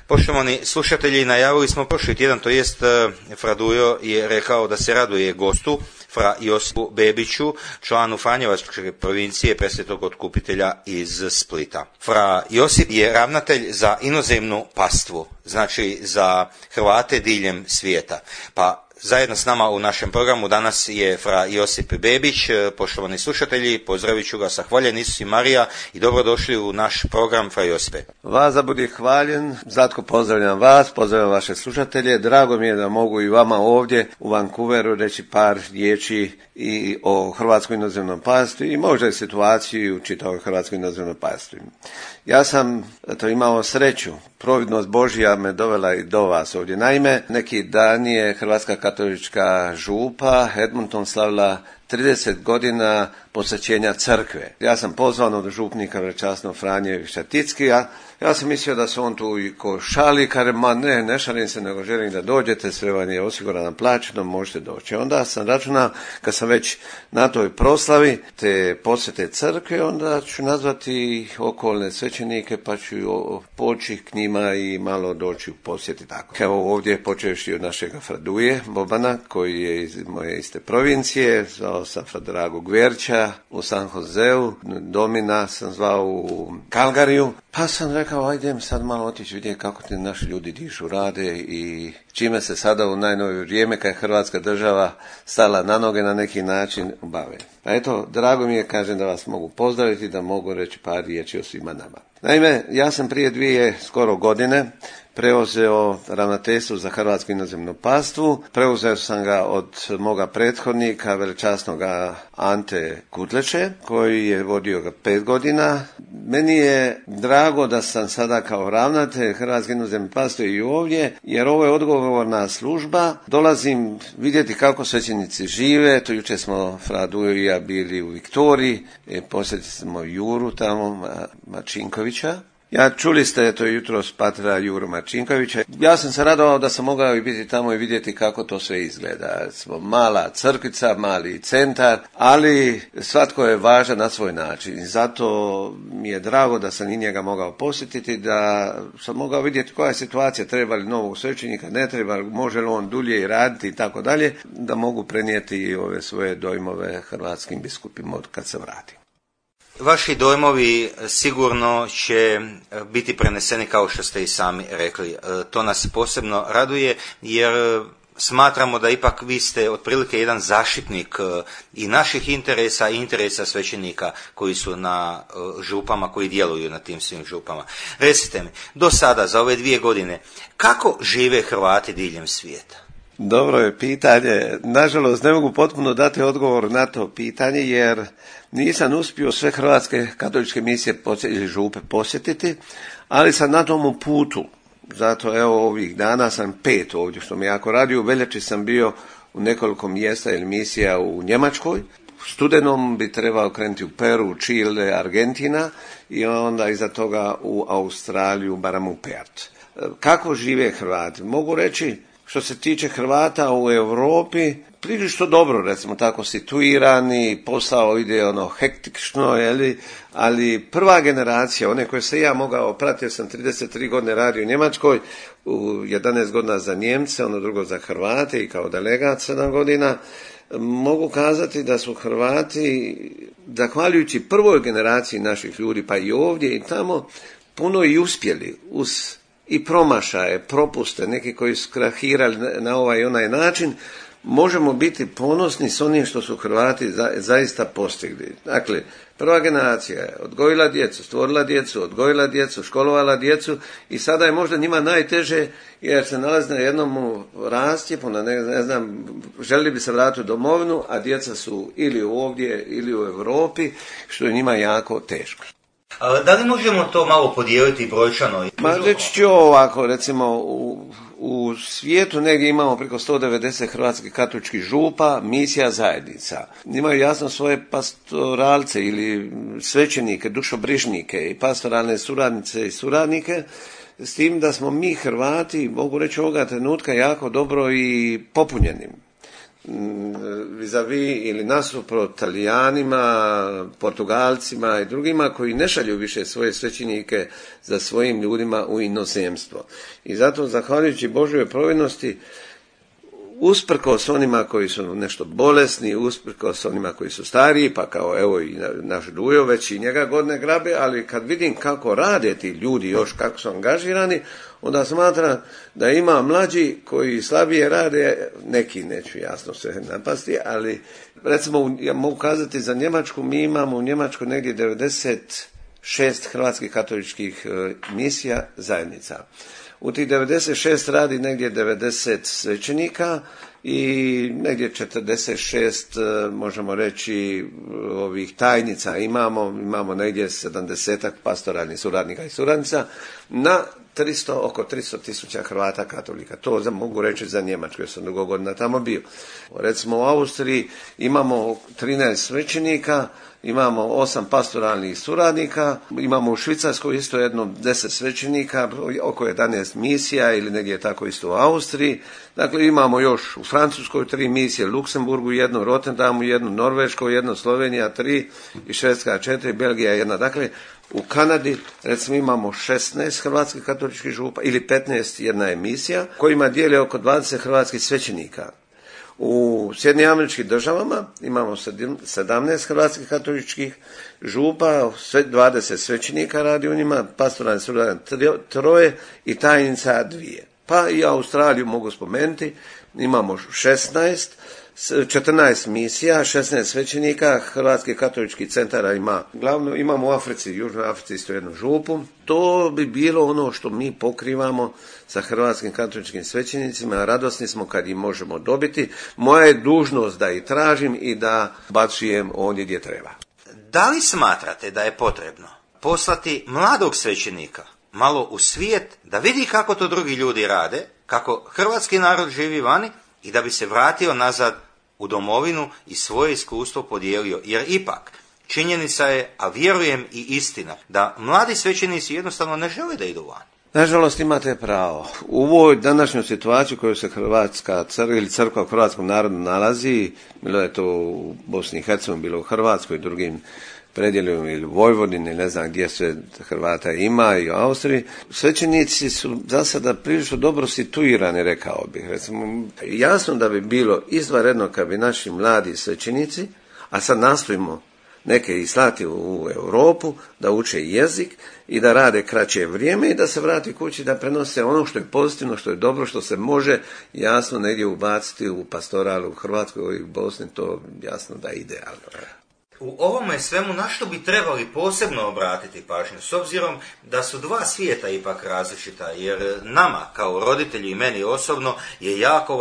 Poštovani slušatelji, najavili smo prošli tjedan, to jest fra Dujo je rekao da se raduje gostu, fra Josipu Bebiću, članu Franjevačke provincije Presvetog Otkupitelja iz Splita. Fra Josip je ravnatelj za inozemnu pastvu, znači za Hrvate diljem svijeta. Pa zajedno s nama u našem programu danas je fra Josip Bebić. Poštovani slušatelji, pozdravit ću ga sa hvaljen Isus i Marija i dobrodošli u naš program, fra Josipe. Vas da budi hvaljen, Zlatko, pozdravljam vas, pozdravljam vaše slušatelje. Drago mi je da mogu i vama ovdje u Vancouveru reći par riječi i o hrvatskoj inozemnom pastvi i možda i situaciji u čitavoj hrvatskoj inozemnoj pastvi. Ja sam imao sreću, providnost Božja me dovela i do vas ovdje. Naime, neki dan je Hrvatska katolička župa Edmonton slavila 30 godina posvećenja crkve. Ja sam pozvan od župnika veličasnog Franje Šatickija. Ja sam mislio da se on tu i ko šali, kaže, ma ne šalim se, nego želim da dođete, sve vam je osigurano plaćeno, možete doći. Onda sam računao, kad sam već na toj proslavi te posvete crkve, onda ću nazvati okolne svećenike, pa ću poći k njima i malo doći u posjeti tako. Evo ovdje, počevši od našega Fraduje Bobana, koji je iz moje iste provincije, zvao sam fra Drago Gverća u San Joseu, Domina sam zvao u Calgaryju, pa sam rekao, ajde sad malo otići vidjeti kako ti naši ljudi dišu, rade i čime se sada u najnovije vrijeme, kad je Hrvatska država stala na noge na neki način, bave. Pa eto, drago mi je, kažem, da vas mogu pozdraviti, da mogu reći par riječi o svima nama. Naime, ja sam prije 2 skoro godine preuzeo ravnateljstvo za hrvatsku inozemnu pastvu. Preuzeo sam ga od moga prethodnika, veličasnoga Ante Kutleše, koji je vodio ga 5 godina. Meni je drago da sam sada kao ravnatelj hrvatske inozemne pastve i ovdje, jer ovo je odgovorna služba. Dolazim vidjeti kako svećenici žive. To jučer smo fra Dujo i ja bili u Viktoriji, posjetili smo Juru tamo, Mačinkovića. Čuli ste to jutros patra Juru Marčinkovića. Ja sam se radovao da sam mogao i biti tamo i vidjeti kako to sve izgleda. Smo mala crkvica, mali centar, ali svatko je važan na svoj način. I zato mi je drago da sam i njega mogao posjetiti, da sam mogao vidjeti koja je situacija, treba li novog svećenika, ne treba, može li on dulje i raditi i tako dalje, da mogu prenijeti i ove svoje dojmove hrvatskim biskupima kad se vratim. Vaši dojmovi sigurno će biti preneseni kao što ste i sami rekli. To nas posebno raduje jer smatramo da ipak vi ste otprilike jedan zaštitnik i naših interesa i interesa svećenika koji su na župama, koji djeluju na tim svim župama. Recite mi, do sada za ove 2 godine, kako žive Hrvati diljem svijeta? Dobro je pitanje. Nažalost, ne mogu potpuno dati odgovor na to pitanje, jer nisam uspio sve hrvatske katoličke misije ili župe posjetiti, ali sam na tomu putu. Zato evo ovih dana sam 5 ovdje, što mi jako radi. U veljači sam bio u nekoliko mjesta ili misija u Njemačkoj. U studenom bi trebao krenuti u Peru, Čile, Argentina i onda iza toga u Australiju, barem u Perth. Kako žive Hrvati? Mogu reći, što se tiče Hrvata u Europi, prilično dobro, recimo tako, situirani, posao ide hektično, ali prva generacija, one koje sam ja mogao, pratio sam 33 godine radio u Njemačkoj, u 11 godina za Njemce, drugo za Hrvate i kao delegat 7 godina, mogu kazati da su Hrvati, zahvaljujući prvoj generaciji naših ljudi, pa i ovdje i tamo, puno i uspjeli uz i promašaje, propuste, neki koji su krahirali na ovaj i onaj način, možemo biti ponosni s onim što su Hrvati zaista postigli. Dakle, prva generacija je odgojila djecu, stvorila djecu, odgojila djecu, školovala djecu i sada je možda njima najteže jer se nalazi na jednom rastjepu, ne znam, želi bi se vratiti u domovinu, a djeca su ili ovdje ili u Europi, što je njima jako teško. Da li možemo to malo podijeliti brojčano? Reći ću ovako, recimo u svijetu negdje imamo preko 190 hrvatskih katoličkih župa, misija zajednica. Imaju jasno svoje pastoralce ili svećenike, dušobrižnike i pastoralne suradnice i suradnike, s tim da smo mi Hrvati, mogu reći ovoga trenutka, jako dobro i popunjeni. vis-a-vis ili nasuprot Talijanima, Portugalcima i drugima koji ne šalju više svoje svećenike za svojim ljudima u inozemstvo. I zato, zahvaljujući Božjoj providnosti, usprkos onima koji su nešto bolesni, usprkos onima koji su stariji, pa kao evo i naš Dujo, već i njega godine grabe, ali kad vidim kako rade ti ljudi još, kako su angažirani, onda smatram da ima mlađi koji slabije rade, neki neću jasno se napasti, ali recimo ja mogu kazati za Njemačku, mi imamo u Njemačkoj negdje 96 hrvatskih katoličkih misija zajednica. U tih 96 radi negdje 90 svećenika i negdje 46, možemo reći, ovih tajnica imamo negdje 70 pastoralnih suradnika i suradnica na oko 300.000 Hrvata katolika. To mogu reći za Njemačku, jer sam dugo godina tamo bio. Recimo u Austriji imamo 13 svećenika, imamo 8 pastoralnih suradnika, imamo u Švicarskoj isto jedno 10 svećenika, oko 11 misija ili negdje tako isto u Austriji. Dakle, imamo još u Francuskoj 3 misije, Luksemburgu 1, Rotterdamu 1, Norveškoj 1, Slovenija 3 i Švedska 4, Belgija 1. Dakle, u Kanadi, recimo, imamo 16 hrvatskih katoličkih župa ili 15, jedna emisija, kojima dijele oko 20 hrvatskih svećenika. U Sjedinjenim Američkim Državama imamo 17 hrvatskih katoličkih župa, 20 svećenika radi u njima, pastoralni suradnik 3 i tajnica 2. Pa i Australiju mogu spomenuti, imamo 14 misija, 16 svećenika, Hrvatski katolički centar ima, glavno imamo u Africi, Južnoj Africi isto jednu župu. To bi bilo ono što mi pokrivamo sa hrvatskim katoličkim svećenicima, radosni smo kad ih možemo dobiti. Moja je dužnost da ih tražim i da bacujem ondje gdje treba. Da li smatrate da je potrebno poslati mladog svećenika malo u svijet da vidi kako to drugi ljudi rade, kako hrvatski narod živi vani i da bi se vratio nazad u domovinu i svoje iskustvo podijelio? Jer ipak činjenica je, a vjerujem i istina, da mladi svećenici jednostavno ne žele da idu van. Nažalost, imate pravo. U ovoj današnjoj situaciji u kojoj se Hrvatska crkva ili crkva u hrvatskom narodu nalazi, bilo je to u Bosni i Hercegovini, bilo u Hrvatskoj i drugim predjelima ili Vojvodini, ne znam gdje sve Hrvata ima i u Austriji, svećenici su za sada prilično dobro situirani, rekao bih. Recimo, jasno da bi bilo izvanredno kad bi naši mladi svećenici, a sad nastojimo neke i slati u Europu, da uče jezik i da rade kraće vrijeme i da se vrati kući, da prenose ono što je pozitivno, što je dobro, što se može jasno negdje ubaciti u pastoralu u Hrvatskoj i u Bosni, to jasno da je idealno. U ovome svemu na što bi trebali posebno obratiti pažnju, s obzirom da su dva svijeta ipak različita, jer nama kao roditelji i meni osobno je jako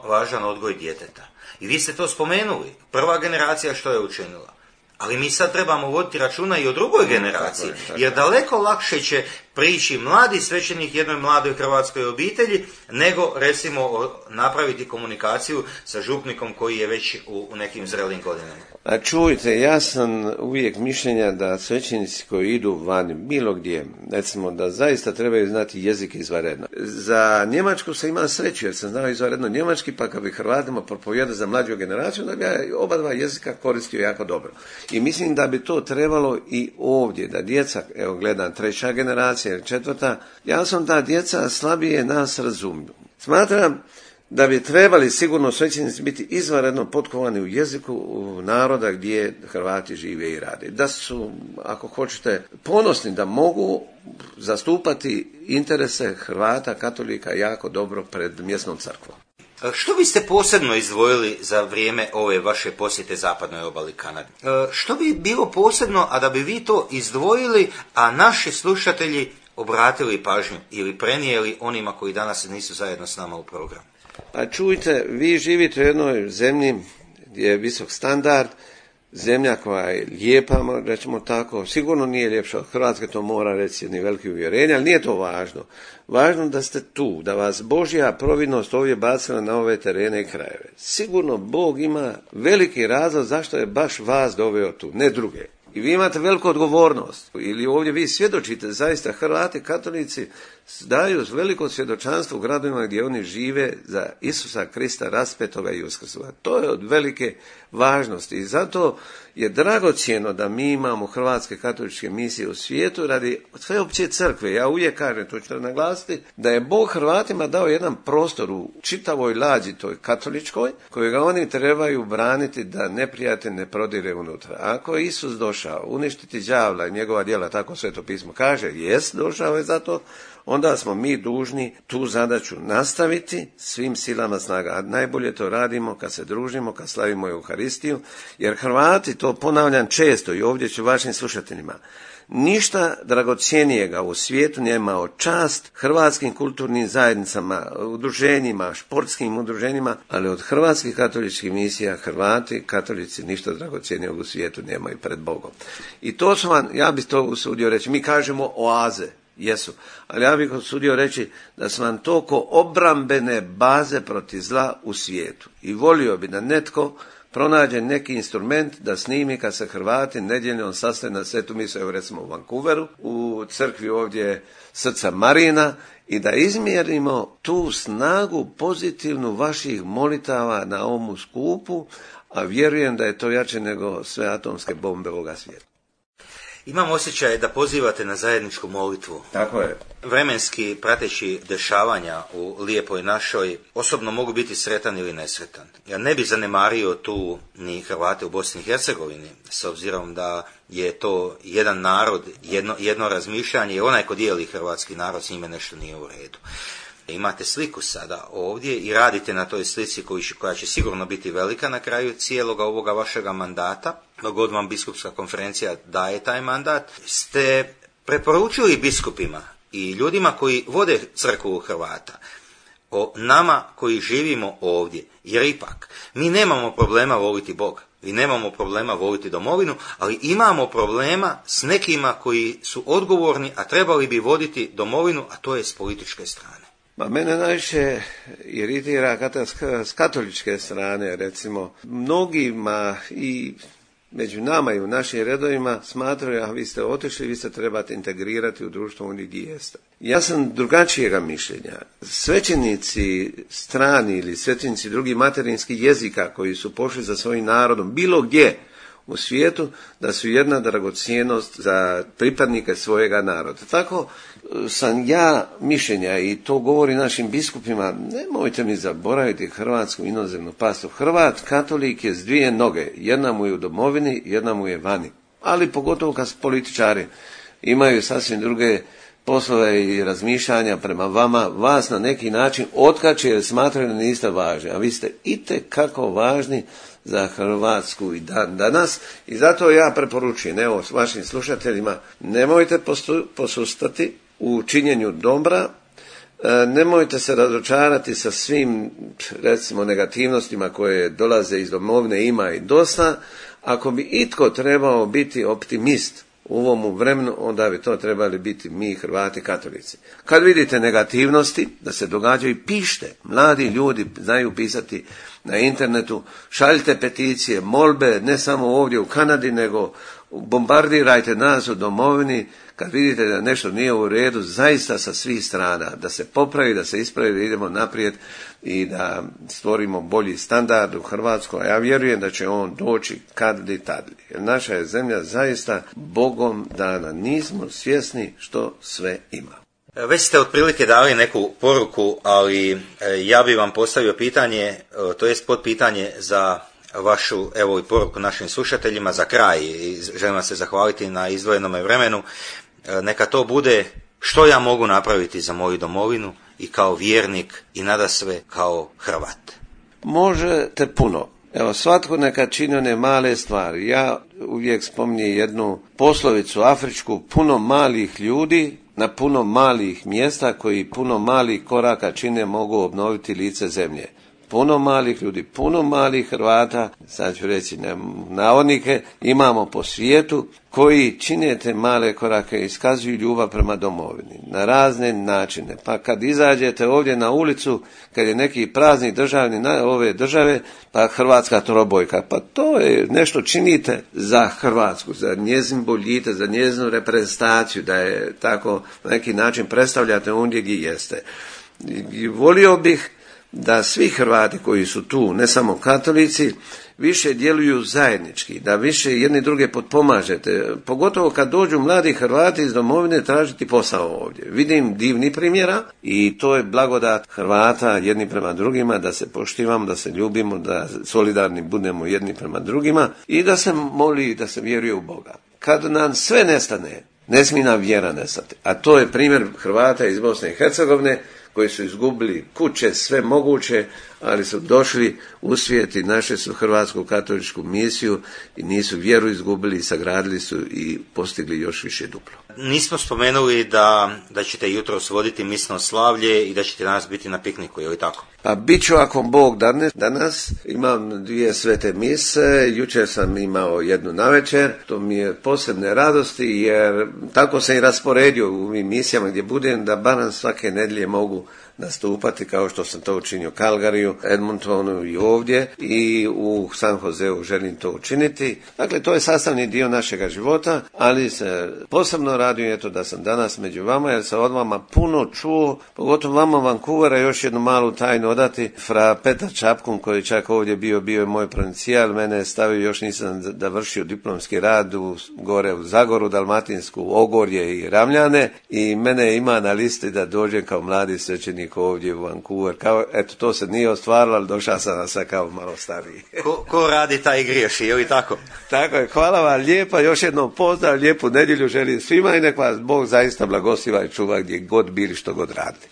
važan odgoj djeteta. I vi ste to spomenuli, prva generacija što je učinila. Ali mi sad trebamo voditi računa i o drugoj generaciji, jer daleko lakše će prići mladi svećenik jednoj mladoj hrvatskoj obitelji, nego recimo napraviti komunikaciju sa župnikom koji je već u nekim zrelim godinama. A čujte, ja sam uvijek mišljenja da svećenici koji idu van bilo gdje, recimo da zaista trebaju znati jezik izvanredno. Za Njemačku se ima sreću, jer sam znao izvanredno njemački, pa kad bi Hrvatima propovijedao za mlađu generaciju, da bi ja oba dva jezika koristio jako dobro. I mislim da bi to trebalo i ovdje, da djeca, evo gledam 3. generacija ili 4, jasno da djeca slabije nas razumiju. Smatram da bi trebali sigurno svećenici biti izvanredno potkovani u jeziku naroda gdje Hrvati žive i rade. Da su, ako hoćete, ponosni da mogu zastupati interese Hrvata, katolika jako dobro pred mjesnom crkvom. Što biste posebno izdvojili za vrijeme ove vaše posjete zapadnoj obali Kanade? Što bi bilo posebno, a da bi vi to izdvojili, a naši slušatelji obratili pažnju ili prenijeli onima koji danas nisu zajedno s nama u programu? Pa čujte, vi živite u jednoj zemlji gdje je visok standard, zemlja koja je lijepa, rećemo tako, sigurno nije ljepša od Hrvatske, to mora reći jedni veliki uvjerenje, ali nije to važno. Važno da ste tu, da vas Božja providnost ovdje bacila na ove terene i krajeve. Sigurno Bog ima veliki razlog zašto je baš vas doveo tu, ne druge. I vi imate veliku odgovornost, ili ovdje vi svjedočite, zaista Hrvati, katolici daju veliko svjedočanstvo u gradovima gdje oni žive za Isusa Krista raspetoga i uskrsloga. To je od velike važnosti i zato je dragocjeno da mi imamo hrvatske katoličke misije u svijetu radi sveopće crkve. Ja uvijek kažem, to ću naglasiti, da je Bog Hrvatima dao jedan prostor u čitavoj lađi toj katoličkoj, kojega oni trebaju braniti da neprijatelj ne prodire unutra. Ako je Isus došao uništiti đavla i njegova djela, tako Sveto pismo kaže, jest došao je zato, onda smo mi dužni tu zadaću nastaviti svim silama snaga. A najbolje to radimo kad se družimo, kad slavimo Euharistiju, jer Hrvati, to ponavljam često i ovdje ću vašim slušateljima, ništa dragocjenijega u svijetu nema od čast hrvatskim kulturnim zajednicama, udruženjima, športskim udruženjima, ali od hrvatskih katoličkih misija Hrvati, katolici, ništa dragocjenijeg u svijetu nemaju pred Bogom. I to su vam, ja bih to usudio reći, mi kažemo oaze. Jesu, ali ja bih usudio reći da su vam to ko obrambene baze protiv zla u svijetu. I volio bi da netko pronađe neki instrument da snimi kad se Hrvati nedjeljom sastaju na svetu misu, evo recimo u Vancouveru, u crkvi ovdje Srca Marina, i da izmjerimo tu snagu pozitivnu vaših molitava na ovom skupu, a vjerujem da je to jače nego sve atomske bombe ovoga svijeta. Imam osjećaj da pozivate na zajedničku molitvu. Tako je. Vremenski prateći dešavanja u lijepoj našoj, osobno mogu biti sretan ili nesretan. Ja ne bih zanemario tu ni Hrvate u Bosni i Hercegovini, s obzirom da je to jedan narod, jedno razmišljanje i onaj ko dijeli hrvatski narod, s njime nešto nije u redu. Imate sliku sada ovdje i radite na toj slici koja će sigurno biti velika na kraju cijeloga ovoga vašega mandata, dok god vam biskupska konferencija daje taj mandat. Ste preporučili biskupima i ljudima koji vode crkvu Hrvata o nama koji živimo ovdje, jer ipak mi nemamo problema voliti Boga, mi nemamo problema voliti domovinu, ali imamo problema s nekima koji su odgovorni, a trebali bi voditi domovinu, a to je s političke strane. Ma mene najviše iritira s katoličke strane, recimo, mnogima i među nama i u našim redovima smatraju, a vi ste otišli, vi se trebate integrirati u društvo oni gdje jeste. Ja sam drugačijega mišljenja. Svećenici strani ili svećenici drugih materinskih jezika koji su pošli za svojim narodom bilo gdje u svijetu, da su jedna dragocjenost za pripadnike svojega naroda. Tako sam ja mišljenja i to govori našim biskupima, nemojte mi zaboraviti hrvatsku inozemnu pastu. Hrvat, katolik je s dvije noge, jedna mu je u domovini, jedna mu je vani. Ali pogotovo kad političari imaju sasvim druge poslove i razmišljanja prema vama, vas na neki način otkače jer smatraju da niste važni, a vi ste itekako važni za Hrvatsku i dan danas, i zato ja preporučujem, evo, s vašim slušateljima, nemojte posustati u činjenju dobra, nemojte se razočarati sa svim, recimo, negativnostima koje dolaze iz domovine, ima i dosta. Ako bi itko trebao biti optimist u ovom vremenu, onda bi to trebali biti mi, Hrvati katolici. Kad vidite negativnosti da se događaju, pišite. Mladi ljudi znaju pisati na internetu, šaljite peticije, molbe, ne samo ovdje u Kanadi, nego bombardirajte nas u domovini kad vidite da nešto nije u redu, zaista sa svih strana, da se popravi, da se ispravi, da idemo naprijed i da stvorimo bolji standard u Hrvatskoj. A ja vjerujem da će on doći kad li tad. Jer naša je zemlja zaista Bogom dana. Nismo svjesni što sve ima. Već ste otprilike dali neku poruku, ali ja bih vam postavio pitanje, to jest potpitanje za vašu, evo i poruku našim slušateljima za kraj. Želim vam se zahvaliti na izdvojenome vremenu. Neka to bude što ja mogu napraviti za moju domovinu i kao vjernik i nadasve kao Hrvat. Možete puno. Evo, svatko neka čini one male stvari. Ja uvijek spominjem jednu poslovicu afričku, puno malih ljudi na puno malih mjesta koji puno malih koraka čine mogu obnoviti lice zemlje. puno malih ljudi, puno malih Hrvata, sad ću reći navodnike, imamo po svijetu koji čine te male korake i iskazuju ljubav prema domovini na razne načine. Pa kad izađete ovdje na ulicu, kad je neki praznik državni ove države, pa hrvatska trobojka, pa to je nešto činite za Hrvatsku, za njezin boljitak, za njezinu reprezentaciju, da je tako na neki način predstavljate ondje gdje jeste. I volio bih da svi Hrvati koji su tu, ne samo katolici, više djeluju zajednički, da više jedni druge potpomažete, pogotovo kad dođu mladi Hrvati iz domovine tražiti posao ovdje. Vidim divni primjera i to je blagodat Hrvata jedni prema drugima, da se poštivamo, da se ljubimo, da solidarni budemo jedni prema drugima i da se moli, da se vjeruje u Boga. Kad nam sve nestane, ne smije nam vjera nestati. A to je primjer Hrvata iz Bosne i Hercegovine, koji su izgubili kuće, sve moguće, ali su došli u svijet i našli su hrvatsku katoličku misiju i nisu vjeru izgubili, sagradili su i postigli još više duplo. Nismo spomenuli da ćete jutros voditi misno slavlje i da ćete danas biti na pikniku, je li tako? Pa bit ću ako Bog danas. Imam 2 svete mise, jučer sam imao jednu navečer, to mi je posebne radosti jer tako se i rasporedio u ovim misijama gdje budem da barem svake nedjelje mogu nastupati kao što sam to učinio u Calgaryju, Edmontonu i ovdje i u San Joseu želim to učiniti. Dakle, to je sastavni dio našega života, ali se posebno radujem eto da sam danas među vama jer sam od vama puno čuo, pogotovo vama Vancouvera, još jednu malu tajnu odati. Fra Petar Čapkun koji čak ovdje bio je moj provincijal, mene je stavio, još nisam završio diplomski rad gore u Zagoru, Dalmatinsku, Ogorje i Ravljane i mene ima na listi da dođem kao mladi svećenik ovdje u Vancouver. Eto, to se nije ostvarilo, ali došao sam sad kao malo stariji. Ko radi taj griješi, je li tako? Tako je, hvala vam lijepa, još jednom pozdrav, lijepu nedjelju želim svima i nek vas Bog zaista blagosiva i čuva gdje god bili, što god radili.